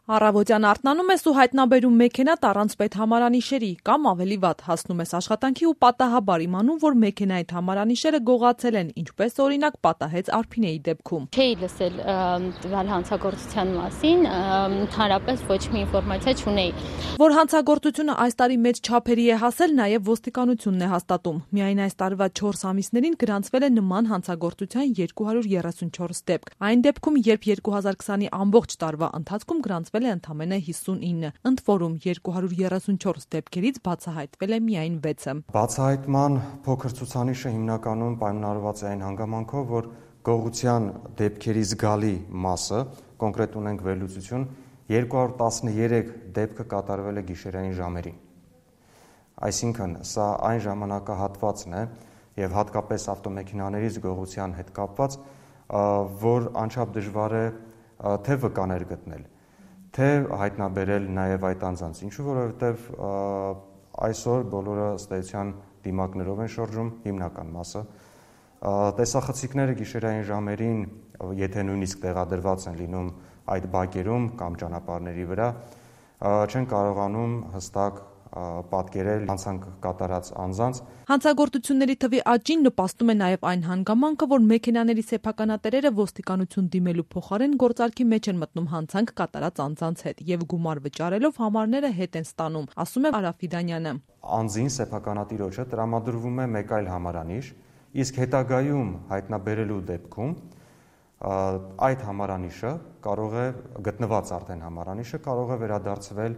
Առավոտյան արթնանում ես ու հայտնաբերում մեքենատ առանց պետհամարանիշերի կամ ավելի վատ հասնում ես աշխատանքի ու պատահաբար իմանում, որ մեքենայիդ համարանիշերը գողացել են, ինչպես օրինակ պատահեց Արփինեի դեպքում։ Չէի լսել տվյալ հանցագործության մասին, ընդհանրապես ոչ մի ինֆորմացիա չունեի։ Որ հանցագործությունը այս տարի մեծ չափերի է հասել, նաև ոստիկանությունն է հաստատում։ Միայն այս տարվա 4 ամիսներին գրանցվել է նման հանցագործության 234 դեպք։ Այն դեպքում, երբ 2020-ի ամբողջ տարվա ընթացքում գրանցվել է ընդամենը 59, ընդ որում 234 դեպքերից բացահայտվել է միայն 6-ը։ Բացահայտման փոքր ցուցանիշը հիմնականում պայմանավորված է այն հանգամանքով, որ գողության դեպքերի զգալի մասը, կոնկրետ ունենք վերլուծություն, 213 դեպքը կատարվել է գիշերային ժամերին։ Այսինքն, սա այն ժամանակահատվածն է եւ հատկապես ավտոմեքենաներից գողության հետ կապված, որ անչափ դժվար է թե վկաներ գտնել, թե հայտնաբերել նաև այդ անձանց, ինչու որովհետև այսօր բոլորը ըստ էության դիմակներով են շրջում, հիմնական մասը, տեսախցիկները գիշերային ժամերին, եթե նույնիսկ տեղադրված են լինում այդ բակերում կամ ճանապարհների վրա, չեն կարողանում հստակ պատկերել հանցանք կատարած անձանց։ Հանցագործությունների թվի աճին նպաստում է նաև այն հանգամանքը, որ մեքենաների սեփականատերերը ոստիկանություն դիմելու փոխարեն գործարքի մեջ են մտնում հանցանք կատարած անձանց հետ եւ գումար վճարելով համարները հետ են ստանում, ասում է Արա Ֆիդանյանը։ Անձին սեփականատիրոջը տրամադրվում է մեկ այլ համարանիշ, իսկ հետագայում հայտնաբերելու դեպքում այդ համարանիշը կարող է գտնված արդեն համարանիշը կարող է վերադարձվել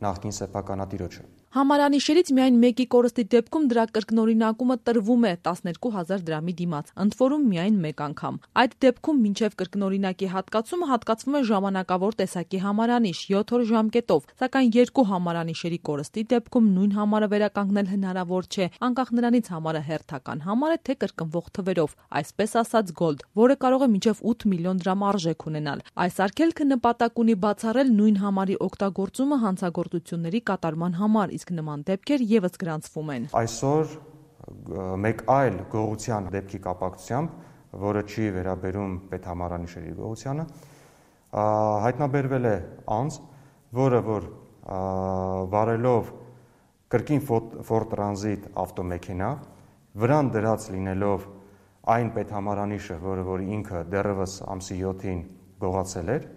նախկին սեփականատիրոջը։ Համարանիշերից միայն մեկի կորստի դեպքում դրա կրկնօրինակումը տրվում է 12,000 դրամի դիմաց, ընդ որում միայն մեկ անգամ։ Այդ դեպքում մինչև կրկնօրինակի հատկացումը հատկացվում է ժամանակավոր տեսակի համարանիշ 7 օր ժամկետով, սակայն երկու համարանիշերի կորստի դեպքում նույն համարը վերականգնել հնարավոր չէ, անկախ նրանից համարը հերթական համար է, թե կրկնվող թվերով, այսպես ասած գոլդ, որը կարող է մինչև 8 միլիոն դրամ արժեք ունենալ։ Այս արգելքը նպատակ ունի բացառել նույն համարի օգտագործումը հանցագործությունների կատարման համար, իսկ նման դեպքեր եւս գրանցվում են։ Այսօր մեկ այլ գողության դեպքի կապակցությամբ, որը չի վերաբերում պետհամարանիշերի գողությանը, հայտնաբերվել է անձ, որը որ վարելով կրկին Ford Transit ավտոմեքենա, վրան դրած լինելով այն պետհամարանիշը, որը որ ինքը դեռևս ամսի 7-ին գողացել էր,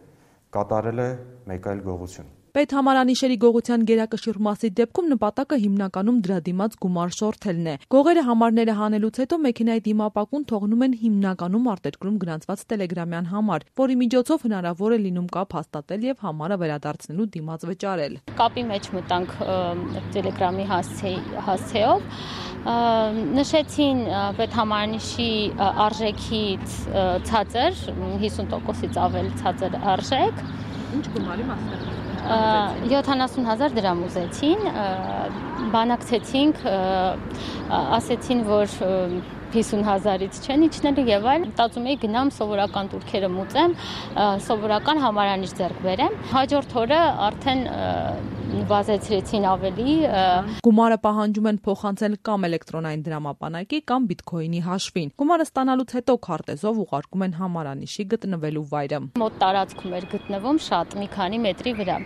կատարել է մեկ այլ գողություն։ Պետհամարանիշերի գողության գերակշիռ մասի դեպքում նպատակը հիմնականում դրա դիմաց գումար շորթելն է։ Գողերը համարները հանելուց հետո մեքենայի դիմապակուն թողնում են հիմնականում արտերկրում գրանցված տելեգրամյան համար, որի միջոցով հնարավոր է լինում կապ հաստատել եւ համարը վերադարձնելու դիմաց վճարել։ Կապի մեջ մտանք տելեգրամի հասցեով, նշեցին պետհամարանիշի արժեքից ցածր, 50%-ից ավել ցածր արժեք։ Ինչ գումարի մասին է։ 70,000 դրամ ուզեցին, բանակցեցինք, ասեցին, որ 50,000-ից չեն իջնելու եւ այլ, մտածում էի գնամ սովորական турքերը մուծեմ, սովորական համարանիշ ձեռք բերեմ։ Հաջորդ օրը արդեն վազեցրեցին ավելի։ Գումարը պահանջում են փոխանցել կամ էլեկտրոնային դրամապանակի կամ բիթքոինի հաշվին։ Գումարը ստանալուց հետո քարտեզով ուղարկում են համարանիշի գտնվելու վայրը։ Մոտ տարածքում էր գտնվում շատ մի քանի մետրի վրա,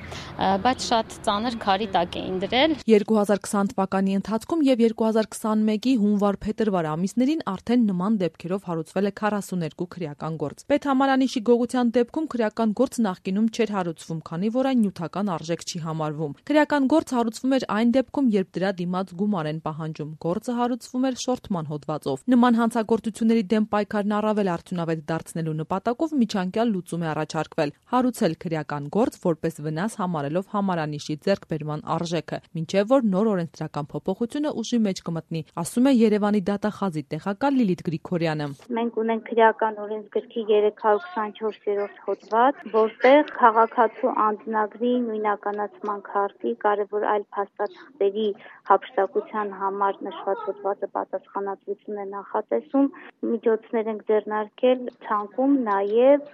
բայց շատ ծանր քարի տակ էին դրել։ 2020 թվականի ընթացքում եւ 2021-ի հունվար-փետրվար ամիսներին արդեն նման դեպքերով հարուցվել է 42 քրեական գործ։ Պետհամարանիշի գողության դեպքում քրեական գործ նախկինում չէր հարուցվում, քանի որ այն նյութական արժեք չի համարվում։ Քրեական գործ հարուցվում էր այն դեպքում, երբ դրա դիմաց գումար են պահանջում։ Գործը հարուցվում էր շորթման հոդվածով։ Նման հանցագործությունների դեմ պայքարն առավել արդյունավետ դարձնելու նպատակով միջանկյալ լուծում է առաջարկվել՝ հարուցել քրեական գործ որպես վնաս համարելով համարանիշի ձեռքբերման արժեքը, մինչև որ նոր օրենսդրական փոփոխությունը ուժի մեջ կմտնի, ասում է Երևանի դատախազի տեղակալ Լիլիթ Գրիգորյանը։ Մենք ունենք քրեական օրենսգրքի 324-րդ հոդված, որտեղ քաղաքացու անձնագրի նույնականացման քարտի կարևոր այլ փաստաթղթերի հափշտակության համար նշված հոդվածը պատասխանատվություն է նախատեսում, միջոցներ ենք ձեռնարկել ցանկում նաև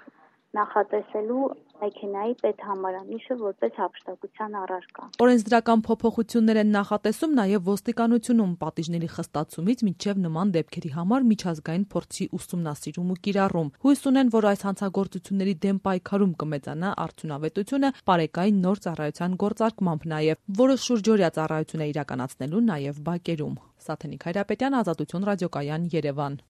նախատեսելու մեքենայի պետհամարանիշը որպես հափշտակության առարկա։ Օրենսդրական փոփոխություններ են նախատեսում նաև ոստիկանությունում պատիժների խստացումից մինչև նման դեպքերի համար միջազգային փորձի ուսումնասիրում ու կիրառում։ Հույս ունեն, որ այս հանցագործությունների դեմ պայքարում կմեծանա արդյունավետությունը պարեկային նոր ծառայության գործարկմամբ նաև, որը շուրջօրյա ծառայություն է իրականացնելու նաև բակերում։ Սաթենիկ Հայրապետյան, Ազատություն ռադիոկայան, Երևան։